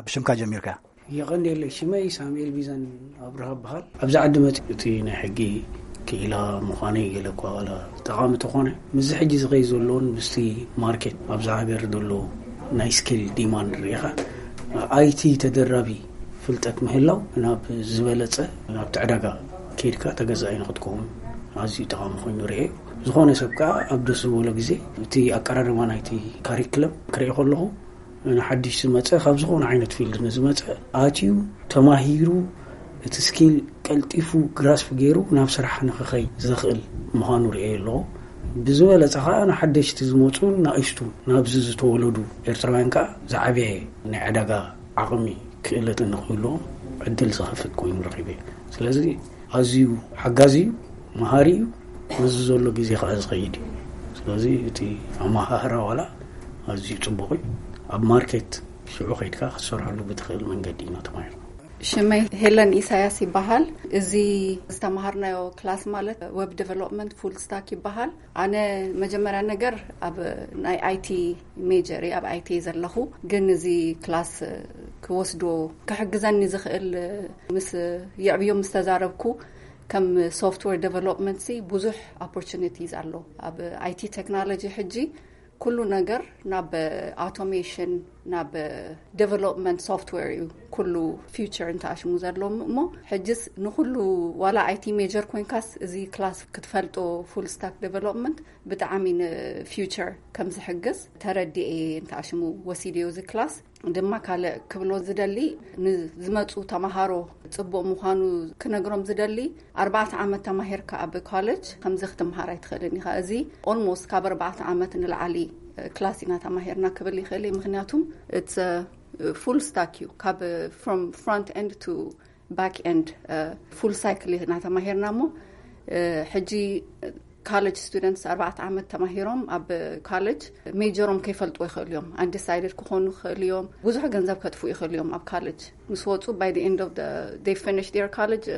ብሽምካ ጀሚርካ። የቐንየለይ። ሽመይ ሳሙኤል ቢዘን ኣብርሃ በሃል። ኣብዚ ዓዲ መፂ እቲ ናይ ሕጊ ክኢላ ምዃነይ ገለ እኳ ዋላ ጠቓሚ ተኾነ፣ ምስዚ ሕጂ ዝኸይ ዘለውን ምስቲ ማርኬት ኣብዛ ሃገር ዘሎ ናይ ስኪል ዲማንድ ርኢኻ፣ ኣይቲ ተደራቢ ፍልጠት ምህላው ናብ ዝበለጸ ናብቲ ዕዳጋ ከይድካ ተገዛኢ ንክትከውን ኣዝዩ ጠቓሚ ኮይኑ ርኤ። ዝኾነ ሰብ ከዓ ኣብ ደስ ዝበሎ ግዜ እቲ ኣቀራርባ ናይቲ ካሪክለም ክርኢ ከለኹ፣ ንሓድሽ ዝመፀ ካብ ዝኾነ ዓይነት ፊልድ ንዝመፀ ኣትዩ ተማሂሩ እቲ ስኪል ቀልጢፉ ግራስፕ ገይሩ ናብ ስራሕ ንክኸይ ዘኽእል ምዃኑ ርእየ ኣለኹ። ብዝበለፀ ከዓ ንሓደሽቲ ዝመፁ ናእሽቱ ናብዚ ዝተወለዱ ኤርትራውያን ከዓ ዝዓበየ ናይ ዕዳጋ ዓቕሚ ክእለትን ንክህልዎም ዕድል ዝኸፍት ኮይኑ ረኺበ። ስለዚ ኣዝዩ ሓጋዚ እዩ፣ መሃሪ እዩ። ምስዚ ዘሎ ግዜ ከዓ ዝኸይድ እዩ። ስለዚ እቲ ኣመሃህራ ዋላ ኣዝዩ ፅቡቕ እዩ። ኣብ ማርኬት ሽዑ ከይድካ ክትሰርሐሉ ብትኽእል መንገዲ ኢና ተማሂርና። ሽመይ ሄለን ኢሳያስ ይበሃል። እዚ ዝተምሃርናዮ ክላስ ማለት ዌብ ዴቨሎፕመንት ፉል ስታክ ይበሃል። ኣነ መጀመርያ ነገር ኣብ ናይ ኣይቲ ሜጀር እየ፣ ኣብ ኣይቲ ዘለኹ። ግን እዚ ክላስ ክወስዶ ክሕግዘኒ ዝኽእል ምስ የዕብዮም ምስ ተዛረብኩ ከም ሶፍትዌር ዴቨሎፕመንት ሲ ብዙሕ ኦፖርቹኒቲስ ኣሎ ኣብ ኣይቲ ቴክኖሎጂ። ሕጂ ኩሉ ነገር ናብ ኣውቶሜሽን ናብ ዴቨሎፕመንት ሶፍትዌር እዩ ኩሉ ፊውቸር እንተኣሽሙ ዘለዎም እሞ ሕጅስ ንኩሉ ዋላ ኣይቲ ሜጀር ኮይንካስ እዚ ክላስ ክትፈልጦ ፉል ስታክ ዴቨሎፕመንት ብጣዕሚ ንፊውቸር ከም ዝሕግዝ ተረዲኤ እንተኣሽሙ ወሲደዮ እዚ ክላስ። ድማ ካልእ ክብሎ ዝደሊ ንዝመፁ ተምሃሮ ፅቡቕ ምዃኑ ክነግሮም ዝደሊ ኣርባዕተ ዓመት ተማሂርካ ኣብ ኮሌጅ ከምዚ ክትምሃር ኣይትኽእልን ኢኻ። እዚ ኦልሞስት ካብ ኣርባዕተ ዓመት ንላዕሊ ክላስ ኢና ተማሂርና ክብል ይኽእል እየ። ምክንያቱም ፉል ስታክ እዩ ካብ ፍሮንት ኤንድ ቱ ባክ ኤንድ ፉል ሳይክል ኢና ተማሂርና እሞ ሕጂ ካለጅ ስቱደንትስ ኣርባዕተ ዓመት ተማሂሮም ኣብ ካለጅ ሜጀሮም ከይፈልጡ ይኽእሉ እዮም። ኣንዲሳይድድ ክኾኑ ይኽእሉ እዮም። ብዙሕ ገንዘብ ከጥፉ ይኽእሉ እዮም ኣብ ካለጅ ምስ ወፁ። By the end of the they finish their college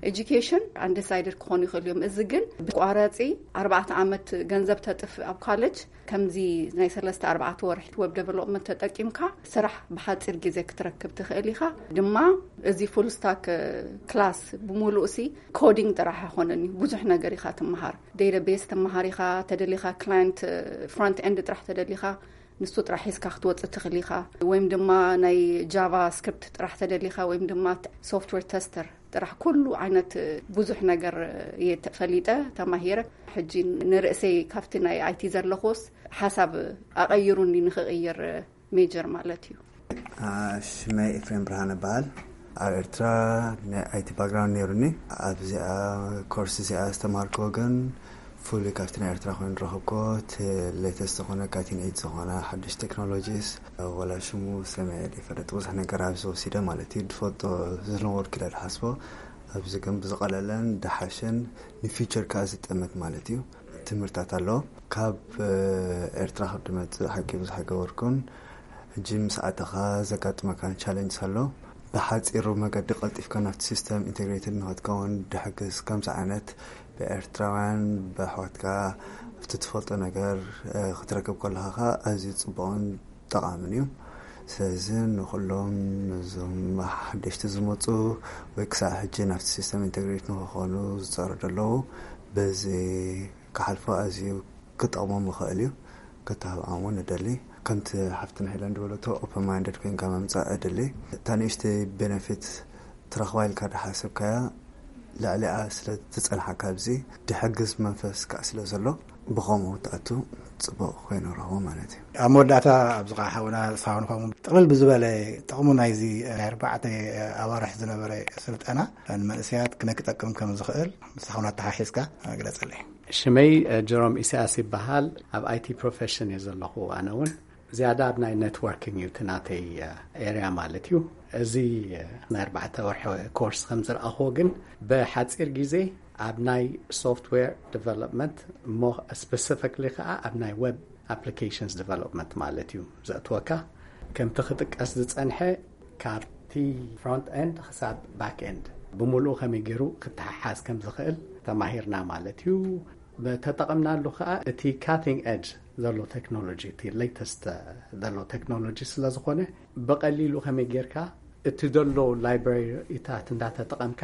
education ኣንዲሳይድድ ክኾኑ ይኽእሉ እዮም። እዚ ግን ብቋራፂ ኣርባዕተ ዓመት ገንዘብ ተጥፍ ኣብ ካለጅ ከምዚ ናይ ሰለስተ ኣርባዕተ ወርሒ ዌብ ዴቨሎፕመንት ተጠቂምካ ስራሕ ብሓፂር ግዜ ክትረክብ ትኽእል ኢኻ። ድማ እዚ ፉል ስታክ ክላስ ብምሉእ ሲ ኮዲንግ ጥራሕ ኣይኮነን እዩ። ብዙሕ ነገር ኢኻ ትመሃር። ዴታቤስ ትመሃር ኢኻ፣ ተደሊኻ ክላይንት ፍሮንት ኤንድ ጥራሕ ተደሊኻ ንሱ ጥራሕ ሒዝካ ክትወፅእ ትኽእል ኢኻ። ወይም ድማ ናይ ጃቫ ስክሪፕት ጥራሕ ተደሊኻ ወይም ድማ ሶፍትዌር ተስተር ጥራሕ ኩሉ ዓይነት ብዙሕ ነገር እየ ተፈሊጠ ተማሂረ። ሕጂ ንርእሰይ ካብቲ ናይ ኣይቲ ዘለኹስ ሓሳብ ኣቐይሩኒ ንክቕይር ሜጀር ማለት እዩ። ሽመይ ኤፍሬም ብርሃን እበሃል። ኣብ ኤርትራ ናይ ኣይቲ ባክግራውንድ ነይሩኒ። ኣብዚኣ ኮርስ እዚኣ ዝተማሃርክዎ ግን ፍሉይ ካብቲ ናይ ኤርትራ ኮይኑ ዝረኸብክዎ እቲ ሌተስት ዝኾነ ካቲን ኤጅ ዝኾነ ሓድሽ ቴክኖሎጂስ ወላ ሽሙ ሰሚዐ ዘይፈልጥ ብዙሕ ነገር ኣብዚ ወሲደ ማለት እዩ። ዝፈልጦ ዝነበርኩ ኢለ ዝሓስቦ ኣብዚ ግን ብዝቐለለን ድሓሽን ንፊውቸር ከዓ ዝጠመት ማለት እዩ ትምህርታት ኣሎ። ካብ ኤርትራ ካብ ድመፅእ ሓቂ ብዙሕ ኣይገበርኩን። ሕጂ ምስ ኣተኻ ዘጋጥመካ ቻለንጅ ኣሎ። ብሓፂሩ መገዲ ቀልጢፍካ ናብቲ ሲስተም ኢንቴግሬትድ ንክትከውን ድሕግዝ ከምዚ ዓይነት ብኤርትራውያን ብኣሕዋትካ ኣብቲ ትፈልጦ ነገር ክትረክብ ከለካ ከዓ ኣዝዩ ፅቡቕን ጠቓምን እዩ። ስለዚ ንኩሎም እዞም ሓደሽቲ ዝመፁ ወይ ክሳብ ሕጂ ናብቲ ሲስተም ኢንቴግሬት ንክኾኑ ዝፀሩ ዘለዉ በዚ ክሓልፎ ኣዝዩ ክጠቕሞም ይኽእል እዩ። ክተባብዖም እውን እደሊ። ከምቲ ሓፍትና ሄለን ዝበለቶ ኦፐን ማይንድድ ኮይንካ ምምፃእ እደሊ። እታ ንእሽተይ ቤነፊት ትረኽባ ኢልካ ዝሓሰብካያ ልዕሊኣ ስለ ዝፀንሓካ ኣብዚ ድሕግዝ መንፈስ ከዓ ስለ ዘሎ ብኸምኡ ትኣቱ ፅቡቕ ኮይኑ ረኽቦ ማለት እዩ። ኣብ መወዳእታ ኣብዚ ከዓ ሓውና ሳሁን ከምኡ ጥቕልል ብዝበለ ጥቕሙ ናይዚ ናይ ኣርባዕተ ኣዋርሕ ዝነበረ ስልጠና ንመንእሰያት ክነ ክጠቅም ከም ዝኽእል ምስ ሓውና ኣተሓሒዝካ ግለፀለይ። ሽመይ ጀሮም ኢሳያስ ይበሃል። ኣብ ኣይቲ ፕሮፌሽን እየ ዘለኹ። ኣነ እውን ዝያዳ ኣብ ናይ ኔትወርኪንግ እዩ እቲ ናተይ ኤርያ ማለት እዩ። እዚ ናይ ኣርባዕተ ወርሒ ኮርስ ከም ዝረኣኽዎ ግን ብሓፂር ግዜ ኣብ ናይ ሶፍትዌር ዲቨሎፕመንት እሞ ስፔሲፊክሊ ከዓ ኣብ ናይ ዌብ ኣፕሊኬሽንስ ዲቨሎፕመንት ማለት እዩ ዘእትወካ። ከምቲ ክጥቀስ ዝፀንሐ ካብቲ ፍሮንት ኤንድ ክሳብ ባክ ኤንድ ብምሉኡ ከመይ ገይሩ ክተሓሓዝ ከም ዝኽእል ተማሂርና ማለት እዩ። ተጠቐምናሉ ከዓ እቲ cutting edge ዘሎ ቴክኖሎጂ፣ እቲ latest ዘሎ ቴክኖሎጂ ስለ ዝኾነ፣ ብቐሊሉ ከመይ ጌርካ እቲ ዘሎ ላይብራሪታት እንዳተጠቐምካ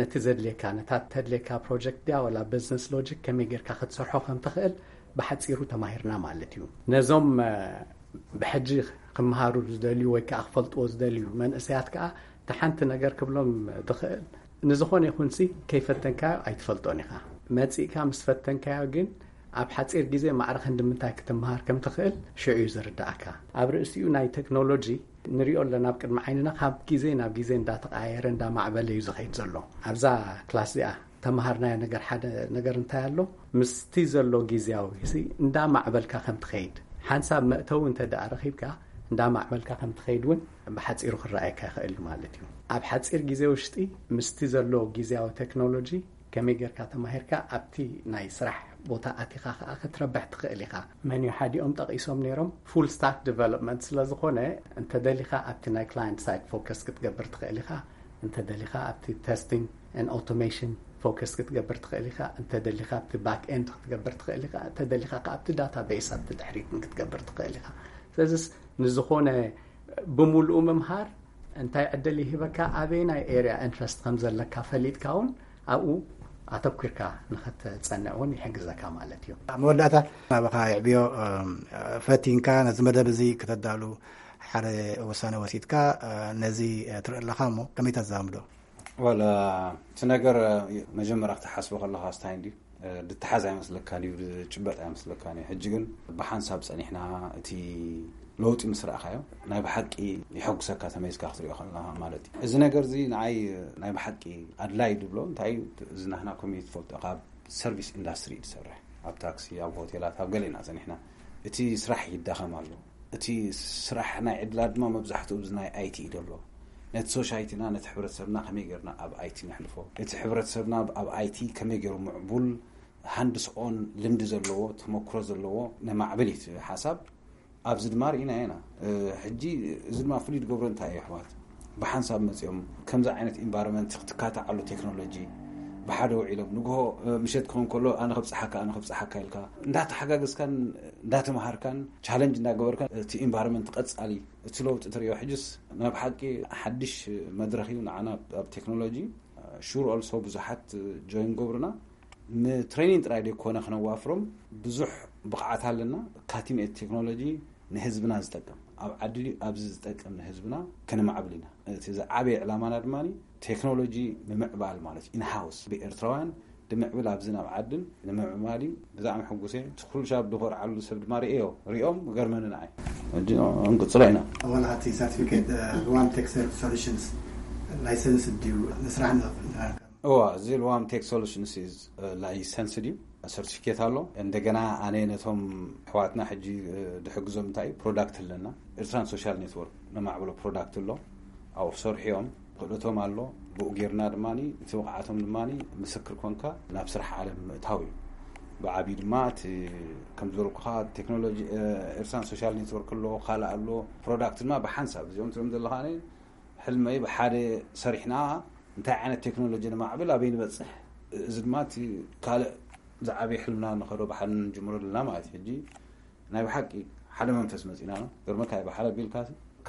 ነቲ ዘድልየካ፣ ነታ ተድልየካ ፕሮጀክት ድያ ወላ ቢዝነስ ሎጂክ ከመይ ጌርካ ክትሰርሖ ከም ትኽእል ብሓጺሩ ተማሂርና ማለት እዩ። ነዞም ብሕጂ ክመሃሩ ዝደልዩ ወይ ከዓ ክፈልጥዎ ዝደልዩ መንእሰያት ከዓ፣ እቲ ሓንቲ ነገር ክብሎም ዝኽእል፣ ንዝኾነ ይኹንሲ ከይፈተንካዮ ኣይትፈልጦን ኢኻ። መጺእካ ምስ ፈተንካዮ ግን ኣብ ሓጺር ግዜ ማዕረ ክንዲ ምንታይ ክትመሃር ከም ትኽእል ሽዑ እዩ ዝርዳእካ። ኣብ ርእሲኡ ናይ ቴክኖሎጂ ንሪኦ ኣለና ኣብ ቅድሚ ዓይንና፣ ካብ ግዜ ናብ ግዜ እንዳተቐያየረ እንዳማዕበለ እዩ ዝኸይድ ዘሎ። ኣብዛ ክላስ እዚኣ ተምሃርናዮ ነገር ሓደ ነገር እንታይ ኣሎ? ምስቲ ዘሎ ግዜያዊ ሲ እንዳማዕበልካ ከም ትኸይድ፣ ሓንሳብ መእተዊ እንተ ደኣ ረኺብካ እንዳማዕበልካ ከም ትኸይድ እውን ብሓጺሩ ክረኣየካ ይኽእል እዩ ማለት እዩ። ኣብ ሓጺር ግዜ ውሽጢ ምስቲ ዘሎ ግዜያዊ ቴክኖሎጂ ከመይ ጌርካ ተማሂርካ ኣብቲ ናይ ስራሕ ቦታ ኣቲኻ ከኣ ክትረብሕ ትኽእል ኢኻ። መን እዩ ሓዲኦም ጠቒሶም ነይሮም? ፉል ስታክ ዲቨሎፕመንት ስለ ዝኾነ፣ እንተ ደሊኻ ኣብቲ ናይ ክላይንት ሳይድ ፎከስ ክትገብር ትኽእል ኢኻ። እንተ ደሊኻ ኣብቲ ቴስቲንግ ኤንድ ኦቶሜሽን ፎከስ ክትገብር ትኽእል ኢኻ። እንተ ደሊኻ ኣብቲ ባክ ኤንድ ክትገብር ትኽእል ኢኻ። እንተ ደሊኻ ከኣ ኣብቲ ዳታቤስ ኣብቲ ድሕሪት ክትገብር ትኽእል ኢኻ። ስለዚስ ንዝኾነ ብምሉኡ ምምሃር እንታይ ዕድል ይህበካ? ኣበየናይ ኤርያ ኢንትረስት ከም ዘለካ ፈሊጥካ እውን ኣብኡ ኣተኲርካ ንኽትጸንዕ እውን ይሕግዘካ ማለት እዩ። ኣብ መወዳእታ ናባኻ የዕብዮ። ፈቲንካ ነዚ መደብ እዚ ክተዳሉ ሓደ ውሳነ ወሲድካ ነዚ ትርኢ ኣለኻ እሞ ከመይ ተዛምዶ? ወላ እቲ ነገር መጀመርያ ክትሓስቦ ከለኻ ስታይ እንድዩ ድተሓዝ ኣይመስለካን እዩ፣ ድጭበጥ ኣይመስለካን እዩ። ሕጂ ግን ብሓንሳብ ጸኒሕና እቲ ለውጢ ምስ ረኣኻዮ ናይ ብሓቂ ይሐጉሰካ፣ ተመይዝካ ክትሪኦ ከለኻ ማለት እዩ። እዚ ነገር እዚ ንዓይ ናይ ብሓቂ ኣድላይ ድብሎ እንታይ እዩ፣ እዚ ናህና ኮሚኒቲ ትፈልጦ ካብ ሰርቪስ ኢንዳስትሪ እዩ ዝሰርሕ፣ ኣብ ታክሲ፣ ኣብ ሆቴላት፣ ኣብ ገለ ኢና ጸኒሕና። እቲ ስራሕ ይዳኸም ኣሎ። እቲ ስራሕ ናይ ዕድላት ድማ መብዛሕትኡ ኣብዚ ናይ ኣይቲ እዩ ዘሎ። ነቲ ሶሻይቲና፣ ነቲ ሕብረተሰብና ከመይ ጌርና ኣብ ኣይቲ ነሕልፎ፣ እቲ ሕብረተሰብና ኣብ ኣይቲ ከመይ ገይሩ ምዕቡል ሃንድስ ኦን ልምዲ ዘለዎ ተመክሮ ዘለዎ ነማዕብል እዩ እቲ ሓሳብ። ኣብዚ ድማ ርኢና ኢና። ሕጂ እዚ ድማ ፍሉይ ዝገብሮ እንታይ እዩ ኣሕዋት፣ ብሓንሳብ መፂኦም ከምዚ ዓይነት ኢንቫይሮንመንት ክትካታዓሉ ቴክኖሎጂ ብሓደ ውዒሎም ንግሆ ምሸት ክኸውን ከሎ ኣነ ከብፅሓካ ኣነ ከብፅሓካ ኢልካ እንዳተሓጋገዝካን እንዳተምሃርካን ቻለንጅ እንዳገበርካን እቲ ኢንቫይሮንመንት ቀፃሊ እቲ ለውጢ ትሪኦ። ሕጅስ ናብ ሓቂ ሓድሽ መድረኽ እዩ ንዓና ኣብ ቴክኖሎጂ። ሹር ኦልሶ ብዙሓት ጆይን ገብሩና ንትሬኒንግ ጥራይ ደይኮነ ክነዋፍሮም ብዙሕ ብቕዓት ኣለና። ካቲንግ ኤጅ ቴክኖሎጂ ንህዝብና ዝጠቅም ኣብ ዓዲ ድዩ ኣብዚ ዝጠቅም ንህዝብና ከነማዕብል ኢና። እቲ ዝዓበየ ዕላማና ድማ ቴክኖሎጂ ምምዕባል ማለት ኢንሃውስ ብኤርትራውያን ድምዕብል ኣብዚ ናብ ዓድን ንምዕባል እዩ። ብጣዕሚ ሕጉስ እየ። እቲ ኩሉ ሻብ ድኾርዓሉ ሰብ ድማ ርእዮ ሪኦም ገርመኒ ንዓይ። ሕጂ እንቅፅሎ ኢና። ዋላ እቲ ሰርቲፊኬት ዋን ቴክ ሶሉሽንስ ላይሰንስ ድዩ ንስራሕ ንኽፍል እዋ እዚ ልዋም ቴክ ሶሉሽንስ ኢዝ ላይሰንስ ድዩ ሰርቲፊኬት ኣሎ። እንደገና ኣነ ነቶም ኣሕዋትና ሕጂ ድሕግዞም እንታይ እዩ ፕሮዳክት ኣለና ኤርትራን ሶሻል ኔትወርክ ነማዕብሎ ፕሮዳክት ኣሎ። ኣብኡ ክሰርሑ እዮም። ክእለቶም ኣሎ። ብኡ ጌርና ድማ እቲ ብቕዓቶም ድማ ምስክር ኮንካ ናብ ስራሕ ዓለም ምእታው እዩ። ብዓብዩ ድማ እቲ ከም ዝበልኩኻ ቴክኖሎጂ ኤርትራን ሶሻል ኔትወርክ ኣሎ፣ ካልእ ኣሎ፣ ፕሮዳክት ድማ ብሓንሳብ እዚኦም ትሪኦም ዘለኻ ሕልመይ ብሓደ ሰሪሕና እንታይ ዓይነት ቴክኖሎጂ ንማዕብል ኣበይ ንበፅሕ፣ እዚ ድማ እቲ ካልእ ዝዓበየ ሕልምና ንኸዶ ብሓደ ንጅምሮ ዘለና ማለት እዩ። ሕጂ ናይ ብሓቂ ሓደ መንፈስ መፂና ነው ገርመካ ብሓደ ቢልካ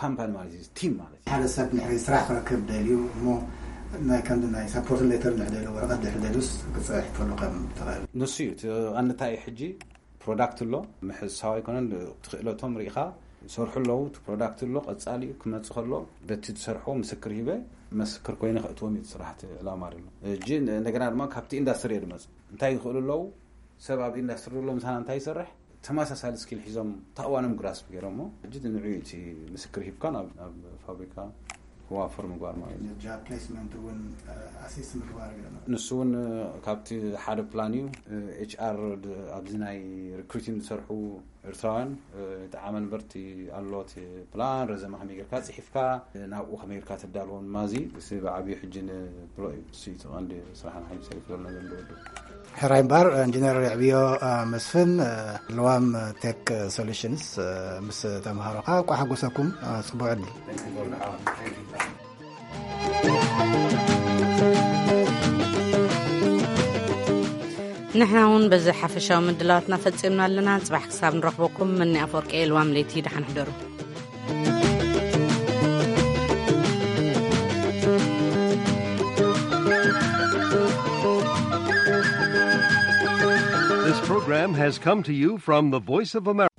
ካምፓኒ ማለት እዩ ቲም ማለት እዩ። ሓደ ሰብ ንሕሪ ስራሕ ክረክብ ደልዩ እሞ ናይ ከምዚ ናይ ሳፖርት ሌተር ንሕደሉ ወረቀት ድሕደሉስ ክፅሕ ከሉ ከም ትኽእል ንሱ እዩ እቲ ኣንታይ እዩ ሕጂ ፕሮዳክት ኣሎ ምሕሳው ኣይኮነን ትኽእለቶም ርኢኻ ይሰርሑ ኣለዉ እቲ ፕሮዳክት ኣሎ ቀፃሊ እዩ ክመፅእ ከሎ በቲ ዝሰርሖ ምስክር ሂበ መስክር ኮይነ ከእትዎም እዩ ስራሕቲ ዕላማ ደሎ እጂ እንደገና ድማ ካብቲ ኢንዳስትሪ እየ ድመፅ እንታይ ይኽእሉ ኣለዉ ሰብ ኣብ ኢንዳስትሪ ዘሎ ምሳና እንታይ ይሰርሕ ተመሳሳሊ ስኪል ሒዞም ታእዋኖም ግራስፕ ገይሮሞ ሕጂ ንዕኡ እቲ ምስክር ሂብካ ናብ ፋብሪካ ክዋፈር ምግባር ማለት እዩ። ጆብ ፕሌስመንት እውን ኣሲስት ምግባር ገለ ንሱ እውን ካብቲ ሓደ ፕላን እዩ። ኤች ኣር ኣብዚ ናይ ሪክሩቲንግ ዝሰርሑ ኤርትራውያን ይጠዓመ ንበርቲ ኣሎ እቲ ፕላን ረዘመ ከመይ ጌርካ ፅሒፍካ ናብኡ ከመይ ጌርካ ተዳልዎም ማዚ ብዓብዩ ሕጂ ንብሎ እዩ። እሱ እዩ እቲ ቀንዲ ስራሕና ሓይሊ ሰሪፍ ዘሎና ዘንድወዱ። ሕራይ እምበኣር ኢንጂነር የዕብዮ መስፍን ልዋም ቴክ ሶሉሽንስ ምስ ተምሃሮኻ እንኳዕ ሓጎሰኩም። ፅቡቅ ዕድል። ንሕና እውን በዚ ሓፈሻዊ ምድላዋትና ፈጺምና ኣለና። ጽባሕ ክሳብ ንረኽበኩም፣ መኒ ኣፈወርቂ እየ። ልዋም ለይቲ ደሓን ሕደሩ። This program has come to you from the Voice of America.